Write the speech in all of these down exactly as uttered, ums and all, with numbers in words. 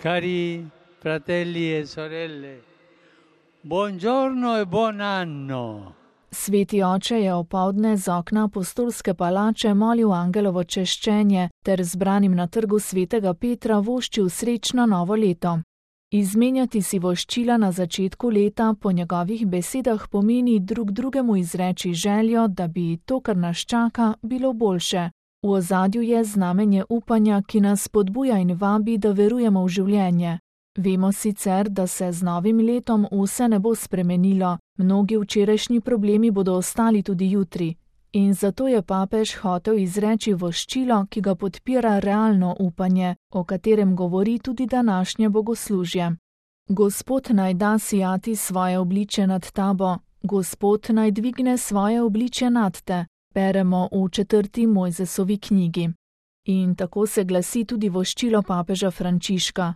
Cari fratelli e sorelle, buongiorno e buon anno. Sveti oče je opoldne z okna apostolske palače molil angelovo češčenje ter zbranim na trgu svetega Petra voščil srečno novo leto. Izmenjati si voščila na začetku leta po njegovih besedah pomeni drug drugemu izreči željo, da bi to, kar nas čaka, bilo boljše. V ozadju je znamenje upanja, ki nas spodbuja in vabi, da verujemo v življenje. Vemo sicer, da se z novim letom vse ne bo spremenilo, mnogi včerajšnji problemi bodo ostali tudi jutri. In zato je papež hotel izreči voščilo, ki ga podpira realno upanje, o katerem govori tudi današnje bogoslužje. Gospod naj da sijati svoje obličje nad tabo, Gospod naj dvigne svoje obličje nad te, beremo v četrti Mojzesovi knjigi. In tako se glasi tudi voščilo papeža Frančiška.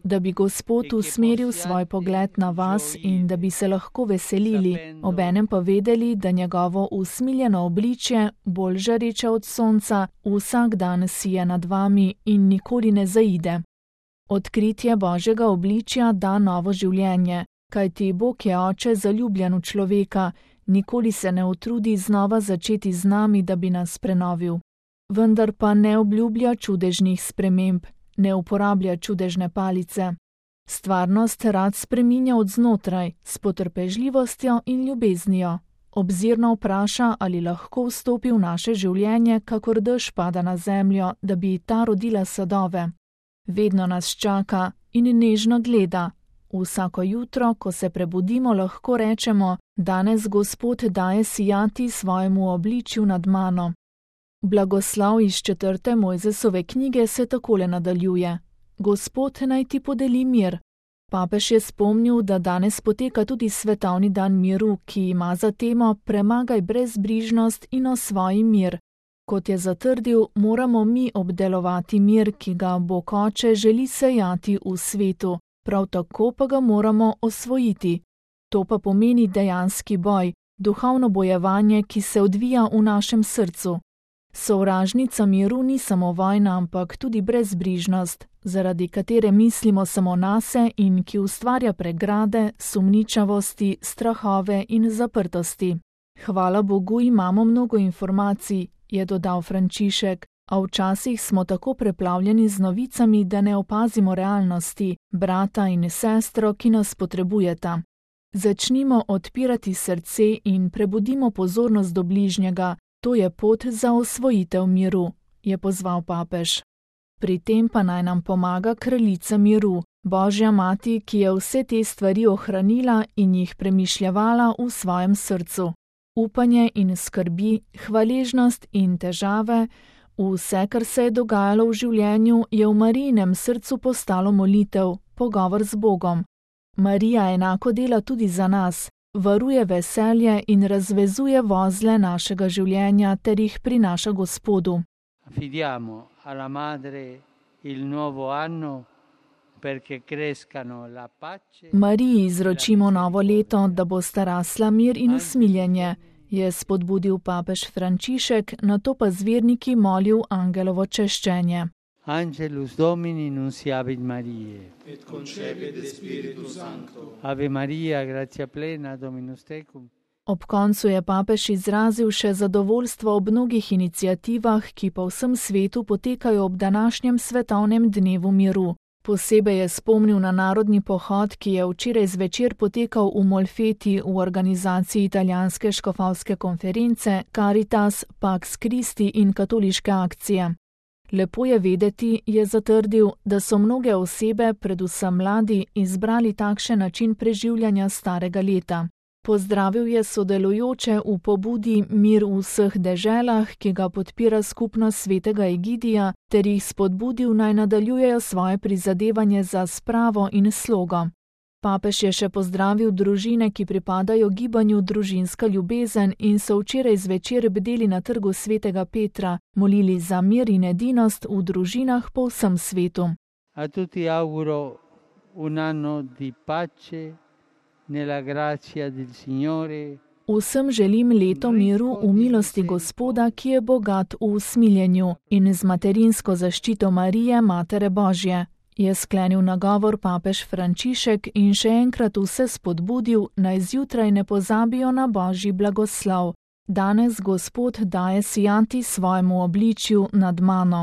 Da bi Gospod usmeril svoj pogled na vas in da bi se lahko veselili, obenem pa vedeli, da njegovo usmiljeno obličje, bolj žareče od sonca, vsak dan sije nad vami in nikoli ne zaide. Odkritje Božjega obličja da novo življenje, kajti Bog je oče zaljubljen v človeka, nikoli se ne utrudi znova začeti z nami, da bi nas prenovil. Vendar pa ne obljublja čudežnih sprememb, ne uporablja čudežne palice. Stvarnost rad spreminja od znotraj, s potrpežljivostjo in ljubeznijo. Obzirno vpraša, ali lahko vstopi v naše življenje, kakor dež pada na zemljo, da bi ta rodila sadove. Vedno nas čaka in nežno gleda. Vsako jutro, ko se prebudimo, lahko rečemo, danes Gospod daje sijati svojemu obličju nad mano. Blagoslov iz četrte Mojzesove knjige se takole nadaljuje. Gospod naj ti podeli mir. Papež je spomnil, da danes poteka tudi svetovni dan miru, ki ima za temo premagaj brezbrižnost in osvoji mir. Kot je zatrdil, moramo mi obdelovati mir, ki ga Bog Oče želi sejati v svetu, prav tako pa ga moramo osvojiti. To pa pomeni dejanski boj, duhovno bojevanje, ki se odvija v našem srcu. Sovražnica miru ni samo vojna, ampak tudi brezbrižnost, zaradi katere mislimo samo nase in ki ustvarja pregrade, sumničavosti, strahove in zaprtosti. Hvala Bogu imamo mnogo informacij, je dodal Frančišek, a včasih smo tako preplavljeni z novicami, da ne opazimo realnosti, brata in sestro, ki nas potrebujeta. Začnimo odpirati srce in prebudimo pozornost do bližnjega. To je pot za osvojitev miru, je pozval papež. Pri tem pa naj nam pomaga kraljica miru, Božja mati, ki je vse te stvari ohranila in jih premišljevala v svojem srcu. Upanje in skrbi, hvaležnost in težave, vse, kar se je dogajalo v življenju, je v Marijinem srcu postalo molitev, pogovor z Bogom. Marija enako dela tudi za nas. Varuje veselje in razvezuje vozle našega življenja ter jih prinaša Gospodu. Affidiamo alla madre il nuovo anno perché crescano la pace. Mariji izročimo novo leto, da bo starasla mir in usmiljenje, je spodbudil papež Frančišek, nato pa z verniki molil angelovo češčenje. Angelus Domini nunciavit Mariae. Et concepit Spiritus Sancto. Ave Maria, gratia plena, Dominus tecum. Ob koncu je papež izrazil še zadovoljstvo ob mnogih iniciativah, ki po vsem svetu potekajo ob današnjem svetovnem dnevu miru. Posebej je spomnil na narodni pohod, ki je včeraj zvečer potekal v Molfeti v organizaciji italijanske škofovske konference Caritas, Pax Christi in katoliške akcije. Lepo je vedeti, je zatrdil, da so mnoge osebe, predvsem mladi, izbrali takšen način preživljanja starega leta. Pozdravil je sodelujoče v pobudi Mir v vseh deželah, ki ga podpira skupnost svetega Egidija, ter jih spodbudil naj nadaljujejo svoje prizadevanje za spravo in slogo. Papež je še pozdravil družine, ki pripadajo gibanju Družinska ljubezen in so včeraj zvečer bdeli na trgu svetega Petra, molili za mir in edinost v družinah po vsem svetu. A tutti auguro un anno di pace nella grazia del Signore Vsem želim leto miru v milosti Gospoda, ki je bogat v usmiljenju, in z materinsko zaščito Marije, Matere Božje, je sklenil nagovor papež Frančišek in še enkrat vse spodbudil, naj zjutraj ne pozabijo na Božji blagoslov. Danes Gospod daje sijati svojemu obličju nad mano.